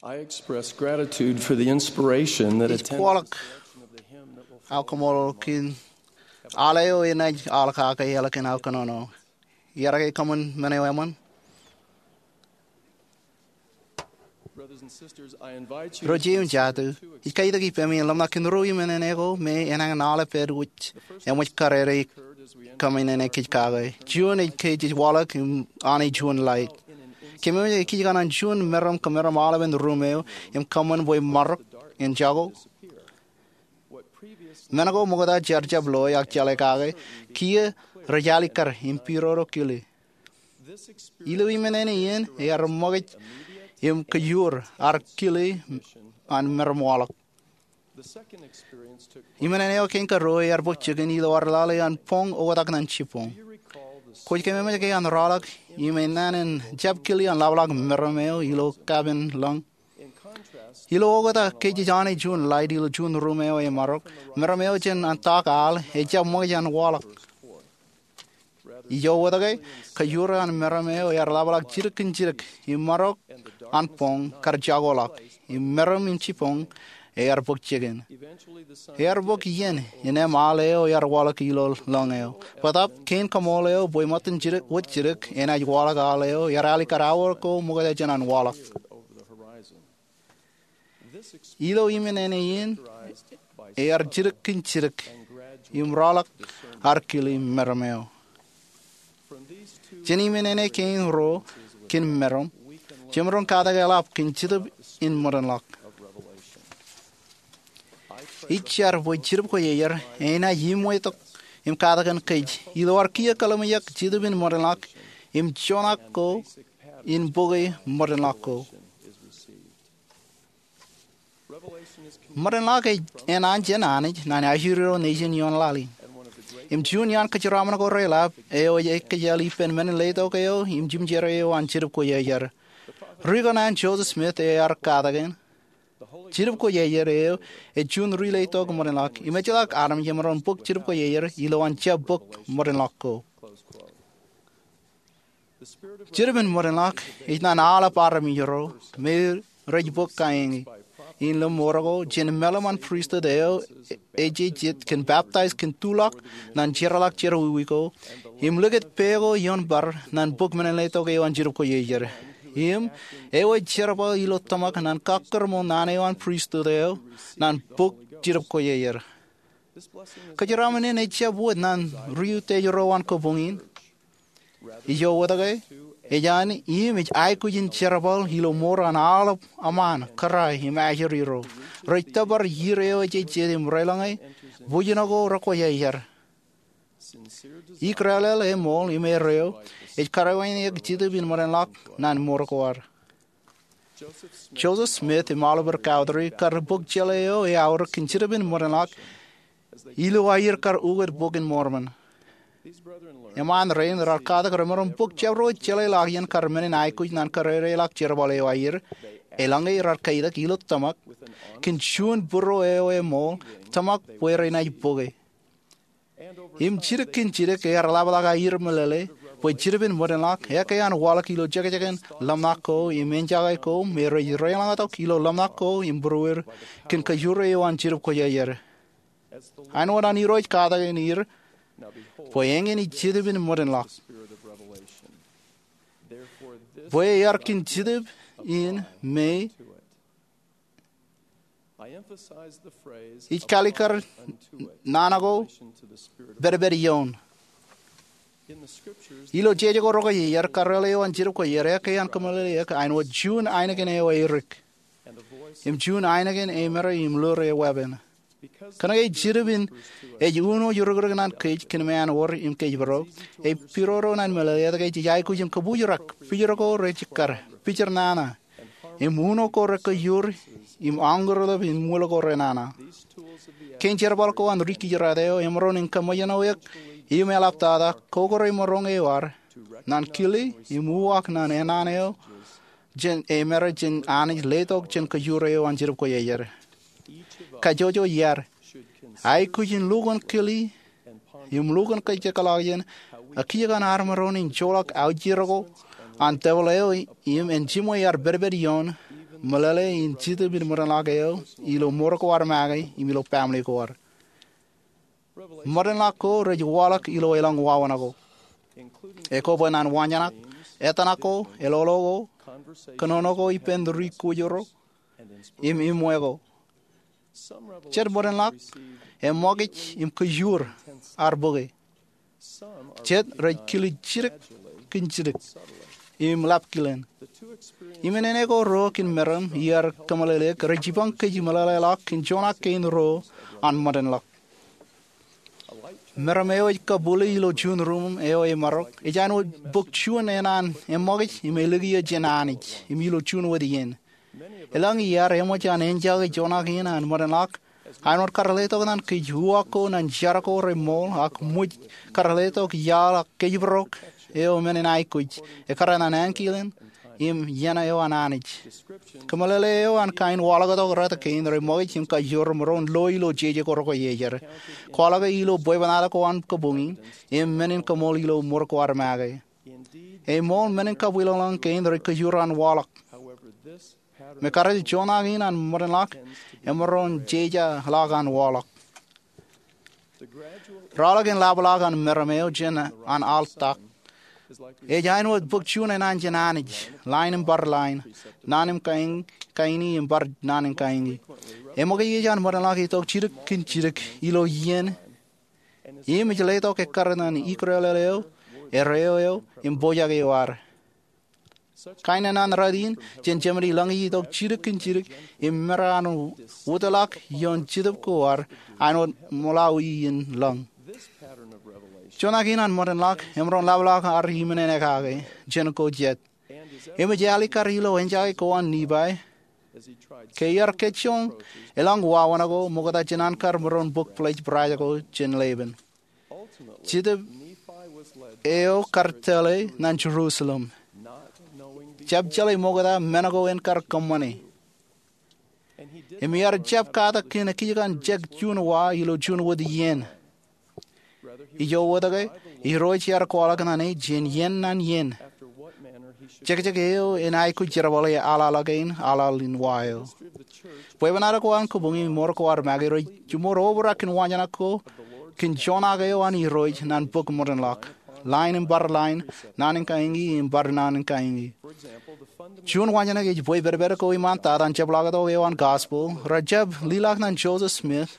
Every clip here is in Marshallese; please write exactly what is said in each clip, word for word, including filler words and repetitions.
I express gratitude for the inspiration that Ij attended kwōḷọk aokamọḷọk kōn al eo enaaj al kake eḷak in aō kōnono. Iar ke kōṃṃan men eo eṃṃan? Brothers and sisters, I invite you Ro jeje im jatū, ij katak ippaṃ in ḷōmṇak kōn ruo iṃōṇōṇō ko me enañin aolep pād wōj eṃōj karere kōṃṃane kōj kake. Juon ej kōj ej waḷọk im Anij juon laij. Kōmwōj ej kōj kōṇaan juon meram kōmeram aolepen ruum eo im kōṃṃan bwe marok en jako. Men ko ṃokta jaar jab loe ak jeḷā kake, kiiō rej alikkar im pidodo kile. Ilo iṃōṇōṇō in ear ṃōkaj im kōjur ad kile an meram waḷọk. Iṃōṇōṇō eo kein karuo ear bōk jikin ilo ad lale an boñ oktak ñan jibboñ. Kwōj kōmeṃōj ke an rọọlḷọk im enana in jab kile an ḷapḷọk meram eo ilo kapen lōñ? Ilo oktak kōj ej Anij juon laij ilo juon ruum eo emarok, meram eo jān an tak al ejab ṃōkaj an waḷọk. Ijo wōt ke, kōjur an meram eo ear ḷapḷọk jidik kōn jidik, im marok an boñ kar jakoḷọk, im meram im jibboñ ear bōk jikin. Ear bōk iien in eṃ al eo ear waḷọk ilo lōñ eo. Bōtab, kein kaṃool eo bwe ṃōttan jidik wōt jidik enaaj waḷọk al eo ear alikkar aor ko ṃokta jān an waḷọk. Ilo iṃōṇōṇō in ear jidik kōn jidik im rọọlḷọk ad kile meram eo. Jān iṃōṇōṇō kein ruo kōn meram, jemaroñ katak eḷap kōn Jetōb in ṃōdenḷọk. Ij jar bwe Jetōb Kwōjarjar enaaj iṃwetok im katakin kōj ilo ad kiiō kōḷmānḷọkjeṇ Jetōb in ṃōdenḷọk im joñak ko in bok e ṃōdenḷọk ko. Ṃōdenḷọk ej enaan jān Anij ñan ajri ro nejin ioon laḷ in. Im juon iaan kōjeraṃṃan ko reḷap eo ej ekkejel ippān men in letok eo im jimjere eo an Jetōb Kwōjarjar. Ri ko an Joseph Smith ear katakin, Jetōb Kwōjarjar eo ej juon ri letok ṃōdenḷọk im ejjeḷọk armej emaroñ bōk Jetōb Kwōjarjar ilowaan jab bōk ṃōdenḷọk ko. Jetōb in ṃōdenḷọk ej ñan aolep armej ro me rej bōk kaeñe in ilo mour ko jān mālim an pristut eo ej jet kōn peptaij kōn tuḷọk ñan jerḷọk jerọwiwi ko im likūt pā ko ioon bar ñan bōk men in letok eo an Jetōb Kwōjarjar. Im eo ej jerbal ilo tōmak ñan kakkōrṃool naan eo an pristut eo ñan bōk Jetōb Kwōjarjar. Kōjeraṃṃan in ejjab wōt ñan ri utiej ro an kabuñ in. Ijo wōt ke, ej an im ej aikuj in jerbal ilo mour an aolep eṃṃaan, kōrā im ajri ro rej tōpar iiō eo ej jet im relōñe bwijin ko rekwōjarjar. Ikōrālel, eṃool im erreo ej karuwaineik Jetōb in ṃōdenḷọk ñan mour ko ad. Joseph Smith im Oliver Cowdery kar bōk jeḷā eo eaorōk kōn Jetōb in ṃōdenḷọk ilo aer kar ukōt Bok in Mormon. Eṃṃaan rein rar katak remaroñ bōk jabdewōt jeḷā ḷọk iien kar men in aikuj ñan kōrā ḷọk jerbal eo aer. Eḷaññe rar kaitak ilo tōmak kōn juon būruo eo eṃool, tōmak bwe renaaj bōke. Im jidik kōn jidik ear ḷapḷọk aer meḷeḷe bwe Jetōb in ṃōdenḷọk eke an waḷọk ilo jekjek in ḷōmṇak ko im enjake ko me rej reḷọñtok ilo ḷōmṇak ko im būruod kōn kōjure eo an Jetōb Kwōjarjar. Āinwōt an Irooj katakin er, bwe eñin ej Jetōb in ṃōdenḷọk. Bwe ear kōn Jetōb in me ij kalikkar naan ko pedped ioon. Ilo jeje ko rekwōjarjar, kōrā eo an Jetōb Kwōjarjar eke an kōmeḷeḷeik āinwōt juon ainikien eo erik im juon ainikien emād im lor eweeppān. Kōnke Jetōb in ej uno eo rikrik ñan kōj kōn ṃaan wōr im kōjparok, ej pidodo ñan meḷeḷe etke jej aikuj im kōbuuj rak, pijor ko rejikkar, pijor nana, im uno ko rekōjur im añkūrtōp im wūl ko renana. Kein jerbal ko an ri kijirāt eo emaroñ in kōṃṃōjṇọ eok im eḷaptata kokoremoron eo ad ñan kile im uwaak ñan enana eo jān emād jān Anij letok jān kōjure eo an Jetōb Kwōjarjar. Kajjojo iaad aikuj in lukkuun kile im lukkuun kajekḷọk jān ak kiiō kōn armej ro in joḷọk aujero ko an tebōḷ eo im en jiṃwe ad pedped ioon meḷeḷe in Jetōb in ṃōdenḷọk eo ilo mour ko ad make im ilo baaṃle ko ad. Ṃōdenḷọk ko rej waḷọk ilo elōñ wāween ko. Ekwe bwe naan wañžanak, etōṇak ko, eḷoḷo ko, kōnono ko ippān ri kwōjarro, im iṃwe ko. Jet ṃōdenḷọk eṃṃakūt im kōjur ad bōke. Jet rej kile jidik kōn jidik im lab kilen. Im ṇe ko ruo kōn meram iar kōmeḷeḷeik rej jipañ kōj meḷeḷeḷọk kōn joñak kein ruo an ṃōdenḷọk. Meram eo ej kabwilōñ ilo juon ruuṃ eo emarok ej āinwōt bōk juon eṇ an eṃṃakūt im ālikiiō jān Anij im ilo juon wōt iien. Elōñ iaad eṃōj an enjake joñak in an ṃōdenḷọk āinwōt kar letok ñan kōj uwaak ko ñan jar ko reṃool ak ṃōj kar letok iaḷ ak kōjparok eo men in aikuj ekkar an ankilen im iien eo an Anij. Kōmeḷeḷe eo an kain waḷọk tok rot kein reṃōkaj im kajoor ṃōro in lo ilo jeje ko rekwojarjar, kwaḷọke ilo bwebwenato ko an kabuñ in, im men in kaṃool ilo mour ko ad make. Eṃool, men in kabwilōñlōñ kein rej kajoor an waḷọk. Mekarejel joñak in an ṃōdenḷọk emaroñ jejeḷọk an waḷọk. Raorōk in labḷọk an meram eo jān an aḷ tak ej āinwōt bōk juon eṇ an jān Anij, line im bar line, naan im kaini im bar naan im kaini. Eṃōkaj eo an ṃōdenḷọk itok jidik kōn jidik ilo iien im ej letok ekkar ñan ikrelel eo, erreo eo, im pojak eo ad. Kain eṇ an rot in jān Jemān ilōñ itok jidik kōn jidik im mera an wōtlọk ioon Jetōb ko ad āinwōt ṃōḷawi in lōñ. Joñak in an ṃōdenḷọk emaroñ labḷọk ad iṃōn enaaj kake jān ko jet. Im ej āliktata ilo enjake ko an Nifai ke iar kōjjoñ elōñ wāween ko ṃokta jān an kar maroñ bōk pledge brass ko jān Leban. Jetōb eo kar tōl e ñan Jerusalem, jab jeḷā ṃokta men ko en kar kōṃṃane. Im iar jab katak kōn ekijkan jek juon wa ilo juon wōt iien. Ijo wōt ke, Irooj ear kwaḷọk ñan e jān iien ñan iien jekjek eo en aikuj jerbale aḷaḷ kein aḷaḷ in wa eo. Bwebwenato ko an kabuñ im mour ko ad make rej jiṃor obrak kōn wañžanak ko kōn joñak eo an Irooj ñan bōk ṃōdenḷọk, line im bar line, naan in kaini im bar naan in kaini. Juon wañžanak ej bwe pedped ko iṃaantata an jepḷaaktok eo an Gospel rejjab leḷọk ñan Joseph Smith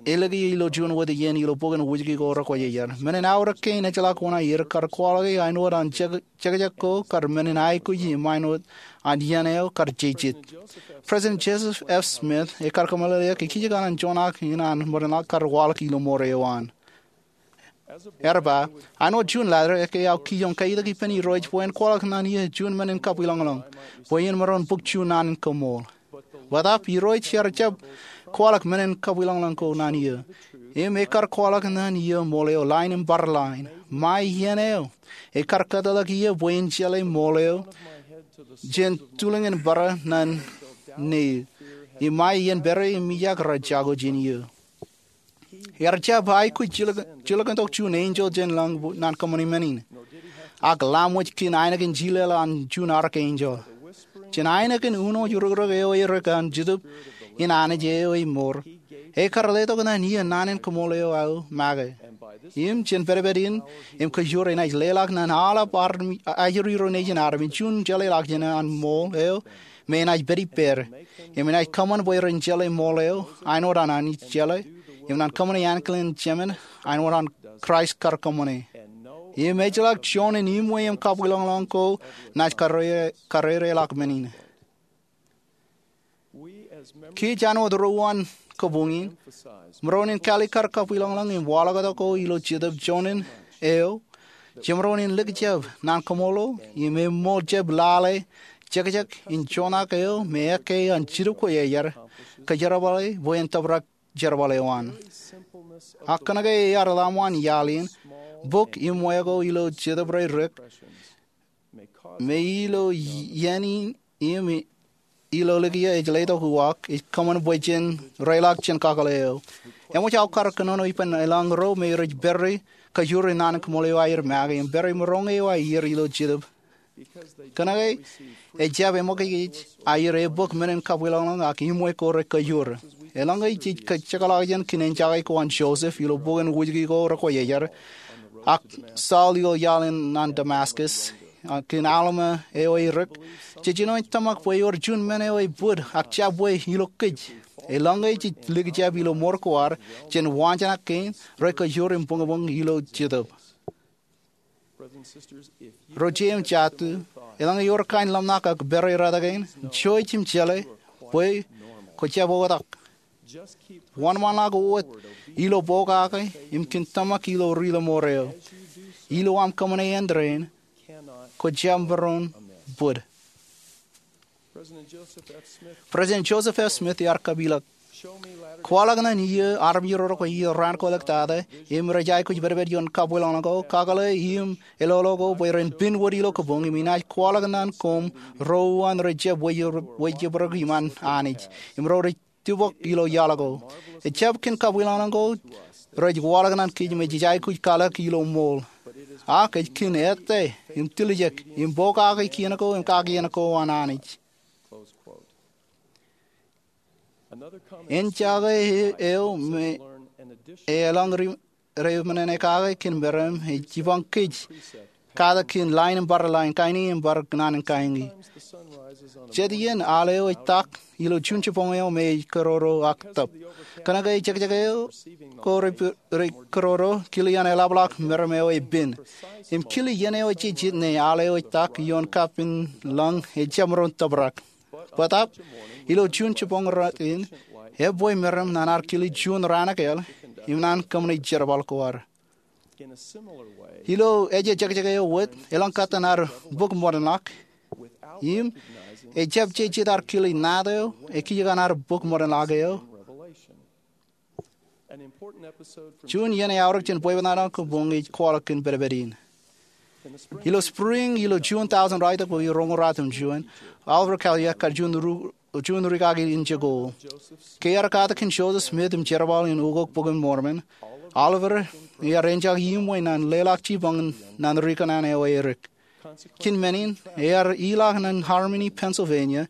ālikiiō ilo juon wōt iien ilo bok in Wūjki ko rekwōjarjar. Men in aorōk kein ejjeḷọk oṇaer kar kwaḷọke āinwōt an jekjek ko kar men in aikuj im āinwōt an iien eo kar jejjet. President Joseph F. Smith ekar kōmeḷeḷeik ekijkan joñak in an ṃōdenḷọk kar waḷọk ilo mour eo an. Ear ba, āinwōt juon laḷ, ekkā aō kijoñ kaitik ippān Irooj bwe en kwaḷọk ñan eō juon men in kabwilōñlōñ bwe en maroñ bōk juon naan in kaṃool. Bōtab Irooj ear jab kwaḷọk men in kabwilōñlōñ ko ñan eō. Im ekar kwaḷọk ñan eō ṃool eo line im bar line. Ṃae iien eo ekar kōtḷọk eō bwe en jeḷā ṃool eo jān tulōñ in bōrā ñan ṇe eō. Im ṃae iien pād im ijak rej jako jān eō. Ear jab aikuj jilkintok juon enjeḷ jān lañ ñan kōṃṃani men in, ak lamwōj kōn ainikien jilel an juon archangel. Jān ainikien uno rukruk eo erik an Jetōb in Anij eo ej mour, ekar letok ñan eō naan in kaṃool eo aō make. Im jān pedped in im kajoor enaaj leḷọk ñan aolep ajri ro nejin armej juon jeḷāḷọkjeṇ an ṃool eo me enaaj pād ippād, im enaaj kōṃṃan bwe ren jeḷā ṃool eo āinwōt an Anij jeḷā, im ñan kōṃṃane ankilen Jemān āinwōt an Kraist kar kōṃṃane. Im ejjeḷọk juon in iṃwe im kabwilōñlōñ ko naaj karrereḷọk men in. Kōj āinwōt ro an kabuñ in, maroñ in kālik kar kabwilōñlōñ im waḷọktok ko ilo Jetōb juon in eo jemaroñ in likjab naan kaṃṃoolol im eṃool jab lale jekjek in joñak eo me ekkā an Jetōb Kwōjarjar kōjerbale bwe en tōprak jerbal eo an. Ak kōnke ear laṃōj an iaḷ in, bōk iṃwe ko ilo Jetōb ro rik me ilo iien in im ilo likio ej letok uwaak, ej kōṃṃan bwe jen reiḷọk jān kakōḷḷe eo. Eṃōj aō kar kōnono ippān elōñ ro me rej pād ri kajoor in naan in kaṃṃool eo aer make im pād ri maroñ eo aer ilo Jetōb Kōnke ejjab eṃōkajkōj aer ebōk men in kabwilōñlōñ ak iṃwe ko rekajure. Eḷaññe jej jekḷọk jān kōn enjake ko an Joseph ilo bok in Wūjke ko Rekwōjarjar, ak Saul ilo iaḷ in naan Damascus, ak kōn Alma eo erik, jej jino in tōmak bwe ewōr juon men eo ebōd ak jabwe ilo kōj. Eḷaññe jej likjab ilo mour ko ad, jen waanjoñak kein, rekajur im buñbuñ ilo Jetōb. Ro jeiū im jatū, eḷaññe ewōr kain ḷōmṇak ak pere rot kein, jouj im jeḷā bwe kwō jab oktak. Wōnṃaanḷọk wōt ilo pokake im kōn tōmak ilo ri-lọmọọr eo. Ilo aṃ kōṃṃane āindein, kwō jab maroñ bōd. President Joseph F. Smith ear kapeḷḷọk, kwaḷọk ñan iiō armej ro rekwe iiō raan ko ḷọk tata im rej aikuj pedped ioon kabwilōñlōñ ko, kakōḷḷe im eḷoḷo ko bwe ren piin wōt ilo kōpoñ im inaaj kwaḷọk ñan koṃ ro uwaan rej jab wejjab, wejjab ro iṃaan Anij im ro rej tibok ilo iaḷ ko. Ejjab kōn kabwilōñlōñ ko rej waḷọk ñan kōj me jej aikuj kwaḷọk ilo ṃool. Ak ej kōn ettā im tiljek im pokake kien ko im kakien ko an Anij. Enjake eo me eḷap ri, ri men in ekake kōn meram ej jipañ kōj kate kōn lain im bar lain kaini im bar naan in kaini. Jet iien al eo ej tak ilo juon jipañ eo me ej kōroro ak tōp. Kōnke ejekjek eo ko rej kōroro, kile an eḷapḷọk meram eo ej piin. Im kile iien eo ejejjet ṇe al eo ej tak ioon kapin lañ ejjab maroñ tōprak. Bōtaab, ilo juon jipañ rot in, ebwe meram ñan ad kile juon raan ekāāl im ñan kōṃṃane jerbal ko ad. Ilo ejejekjek eo wōt, eḷaññe ad bōk ṃōdenḷọk im ejjab jejjet ad kile ṇaat eo ekijjeen ad bōk ṃōdenḷọk eo, juon iien eaorōk jān bwebwenato kōpoñ ej kwaḷọk kōn pedped in. Ilo spring ilo juon tọujin raelōñ ko iroñoul ratimjuon, Oliver Cowdery ekar juon ri, juon rikaki in jeko. Ke ear kate kōn Joseph Smith im jerbal in ukok Bok in Mormon, Oliver ear enjake iṃwe ñan leḷọk jipañ ñan ri kōṇaan eo erik. Kōn men in, ear ilọk ñan Harmony, Pennsylvania,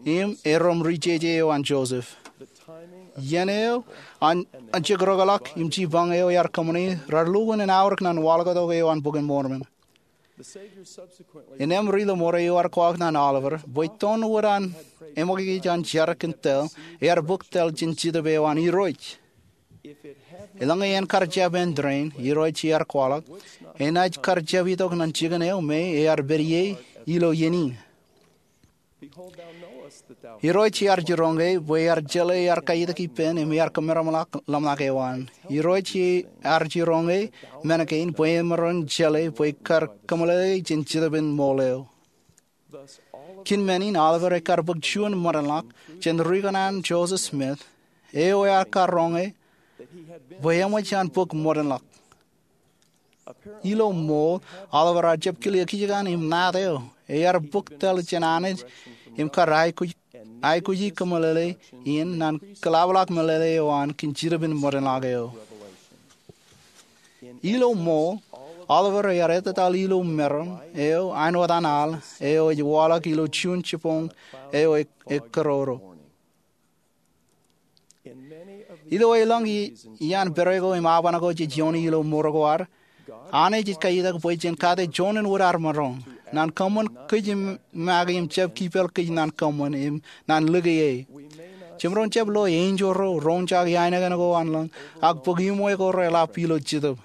im erom ri jeje eo an Joseph. Iien eo an, an jekdọkḷọk im jipañ eo ear kōṃṃane raar lukkuun en aorōk ñan waḷọktok eo an Bok in Mormon. Innām ri-lọmọọr eo ear kwaḷọk ñan Oliver bwe toon wōt an eṃōkajkōj an jar kōn tōl, ear bōk tōl jān Jetōb eo an Irooj. Eḷaññe en kar jab āindein, Irooj ear kwaḷọk, enaaj kar jab itok ñan jikin eo me ear pād ie ilo iien in. Irooj ear jiroñ ke bwe ear jeḷā ear kaitik ippān im ear kōmeramḷọk ḷōmṇak eo an. Irooj ear jiroñ ke men kein bwe emaroñ jeḷā bwe kar kōmeḷeḷe jān Jetōb in ṃool eo. Kōn men in Oliver ekar bōk juon ṃōdenḷọk jān ri kōṇaan Joseph Smith, eo ear kar roñe bwe eṃōj an bōk ṃōdenḷọk. Ilo ṃool, Oliver ear jab kile ekijjeen im ṇaat eo ear bōk tōl jān Anij im kar aikuj, aikuji kōmeḷeḷe in ñan kōḷapḷọk meḷeḷe eo an kōn Jetōb in ṃōdenḷọk eo. Ilo ṃool, Oliver ear ettōtaḷ ilo meram eo āinwōt an al eo ej waḷọk ilo juon jipañ eo e, ekōroro. Ilo elōñ i, iaan pere ko im aban ko jej ioone ilo mour ko ad, Anij ej kaitak bwe jen kate juon in wōt ad maroñ ñan kōṃṃan kōj im make im jab kipel kōj ñan kōṃṃan im ñan lōke e. Jemaroñ jab lo enjeḷ ro roñjake ainikien ko an lañ ak bōk iṃwe ko reḷap ilo Jetōb.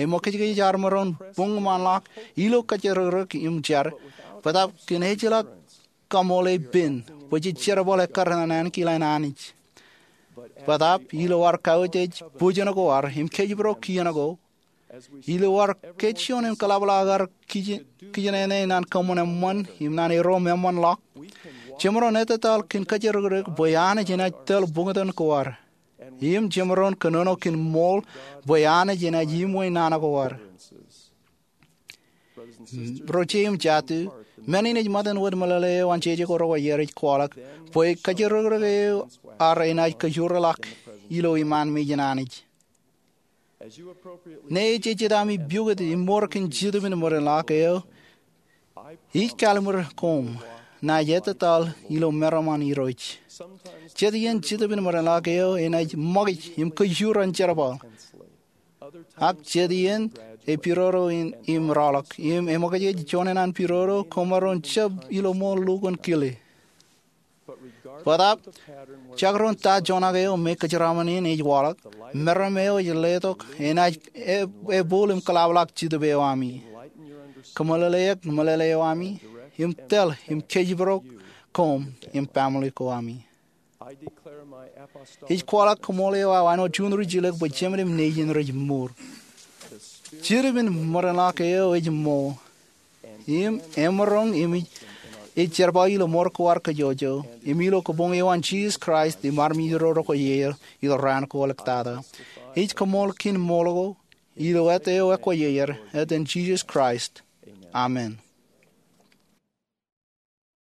Eṃōkajkōj ad maroñ buñṃaanḷọk ilo kōjrōkrōk im jar, bōtaab kōn ejjeḷọk kaṃool e piin bwe jej jerbal ekkar ñan ankilaan Anij. Bōtaab ilo ad kautiej bujen ko ad im kōjparok kien ko, ilo ad kajjioñ im kōḷapḷọk ad kij, kijenene ñan kōṃṃan eṃṃan im ñan erom eṃṃanḷọk, jemaroñ ettōtaḷ kōn kōjrōkrōk bwe Anij enaaj tōl buñtōn ko ad. Im jemaroñ kōnono kōn ṃool bwe Anij enaaj iṃwe nana ko ad. Ro jeiū im jatū, men in ej ṃōttan wōt meḷeḷe eo an jeje ko Rekwōjarjar ej kwaḷọk bwe kōjrōkrōk eo ad enaaj kajoor ḷọk ilo iṃaan mejān Anij. Ñe ejejjet ami pukot im mour kōn Jetōb in ṃōdenḷọk eo, Ij kallimur koṃ naaj ettōtaḷ ilo meram an Irooj. Jet iien Jetōb in ṃōdenḷọk eo enaaj ṃakij im kōjjur an jerbal. Ak jet iien epidodo im rọọlḷọk im eṃōkajej juon eṇ an pidodo koṃaroñ jab ilo ṃool lukkuun kile. Bōtaab, jekdọọn ta joñak eo me kōjeraṃōn in ej waḷọk, meram eo ej letok enaaj ebooḷ im kōḷapḷọk Jetōb eo ami. Kōmeḷeḷeik meḷeḷe eo ami im tōl im kōjparok koṃ im family ko ami. Ij kwaḷọk koṃṃool eo aō āinwōt juon ri jilōk bwe Jemān im Nejin rej mour. Jetōb in ṃōdenḷọk eo ej ṃool im emaroñ im ej jerbal ilo ṃor ko ad kōjwōjwōj im ilo kabuñ eo an Jisōs Kraist im armej ro rekwōjarjar ilo raan ko āliktata. Ij koṃṃool kōn ṃool ko ilo āt eo ekwōjarjar, āten Jisōs Kraist, amen.